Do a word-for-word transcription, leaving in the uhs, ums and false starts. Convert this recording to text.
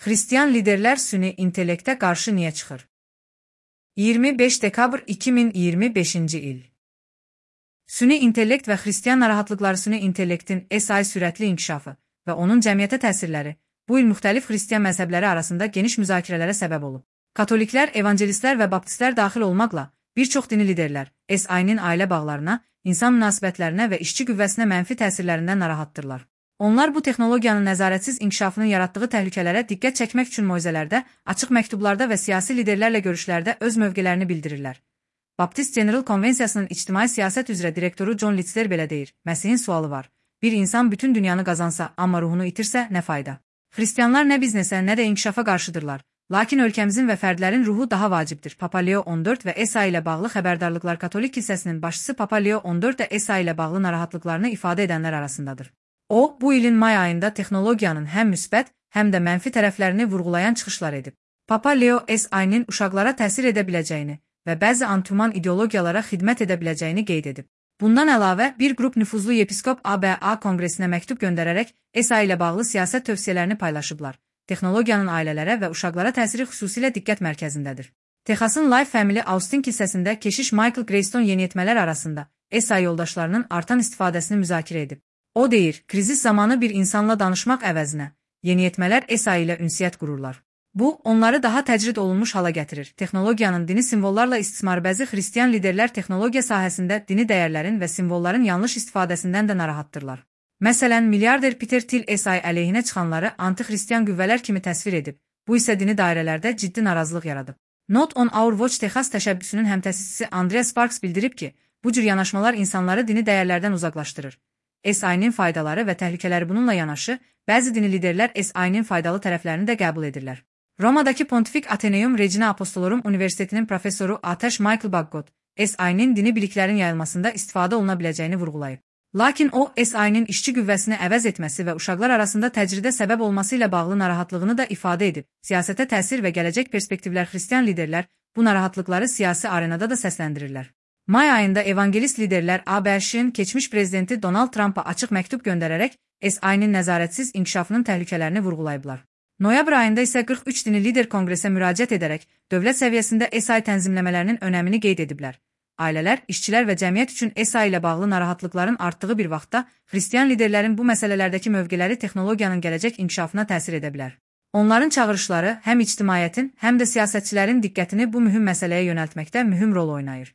Xristian liderlər süni intellektə qarşı niyə çıxır? iyirmi beş dekabr iki min iyirmi beşinci il. Süni intellekt və xristian narahatlıqları süni intellektin S I sürətli inkişafı və onun cəmiyyətə təsirləri bu il müxtəlif xristian məzhəbləri arasında geniş müzakirələrə səbəb olub. Katoliklər, evangelistlər və baptistlər daxil olmaqla bir çox dini liderlər S I-nin ailə bağlarına, insan münasibətlərinə və işçi qüvvəsinə mənfi təsirlərindən narahatdırlar. Onlar bu texnologiyanın nəzarətsiz inkişafının yaratdığı təhlükələrə diqqət çəkmək üçün moizələrdə, açıq məktublarda və siyasi liderlərlə görüşlərdə öz mövqelərini bildirirlər. Baptist General Konvensiyasının ictimai siyasət üzrə direktoru John Litzler belə deyir: Məsihin sualı var. Bir insan bütün dünyanı qazansa, amma ruhunu itirsə, nə fayda? Xristianlar nə biznesə, nə də inkişafa qarşıdırlar. Lakin ölkəmizin və fərdlərin ruhu daha vacibdir. Papa Leo on dörd və S I ilə bağlı xəbərdarlıqlar Katolik kilsəsinin başçısı Papa Leo on dörd də S I ilə bağlı narahatlıqlarını ifadə edənlər arasındadır. O, bu ilin may ayında texnologiyanın həm müsbət, həm də mənfi tərəflərini vurğulayan çıxışlar edib. Papa Leo S I-nin uşaqlara təsir edə biləcəyini və bəzi antihuman ideologiyalara xidmət edə biləcəyini qeyd edib. Bundan əlavə, bir qrup nüfuzlu yepiskop A B A Konqresinə məktub göndərərək S I ilə bağlı siyasət tövsiyələrini paylaşıblar. Texnologiyanın ailələrə və uşaqlara təsiri xüsusilə diqqət mərkəzindədir. Texasın Life Family Austin kilsəsində keşiş Michael Greystone yeniyetmələr arasında S I yoldaşlarının artan istifadəsini müzakirə edib. O deyir, krizis zamanı bir insanla danışmaq əvəzinə, yeniyetmələr S I ilə ünsiyyət qururlar. Bu, onları daha təcrid olunmuş hala gətirir. Texnologiyanın dini simvollarla istismarı bəzi xristian liderlər texnologiya sahəsində dini dəyərlərin və simvolların yanlış istifadəsindən də narahatdırlar. Məsələn, milyarder Peter Thiel S I əleyhinə çıxanları anti-xristian qüvvələr kimi təsvir edib. Bu isə dini dairələrdə ciddi narazılıq yaradıb. Not on Our Watch Texas təşəbbüsünün həmtəsisçisi Andrea Sparks bildirib ki, bu cür yanaşmalar insanları dini dəyərlərdən uzaqlaşdırır. S I-nin faydaları və təhlükələri bununla yanaşı, bəzi dini liderlər S I-nin faydalı tərəflərini də qəbul edirlər. Romadakı Pontifik Athenaeum Regina Apostolorum Universitetinin professoru Ateş Michael Baggot, S I-nin dini biliklərin yayılmasında istifadə oluna biləcəyini vurğulayıb. Lakin o, S I-nin işçi qüvvəsini əvəz etməsi və uşaqlar arasında təcridə səbəb olması ilə bağlı narahatlığını da ifadə edib. Siyasətə təsir və gələcək perspektivlər xristian liderlər bu narahatlıqları siyasi arenada da səsləndirirlər. May ayında evangelist liderlər A B Ş'in keçmiş prezidenti Donald Trump'a açıq məktub göndərərək S I-nin nəzarətsiz inkişafının təhlükələrini vurğulayıblar. Noyabr ayında isə qırx üç dini lider konqresə müraciət edərək dövlət səviyyəsində S I tənzimləmələrinin önəmini qeyd ediblər. Ailələr, işçilər və cəmiyyət üçün S I ilə bağlı narahatlıqların artdığı bir vaxtda xristian liderlərin bu məsələlərdəki mövqeləri texnologiyanın gələcək inkişafına təsir edə bilər. Onların çağırışları həm ictimaiyyətin, həm də siyasətçilərin diqqətini bu mühüm məsələyə yönəltməkdə mühüm rol oynayır.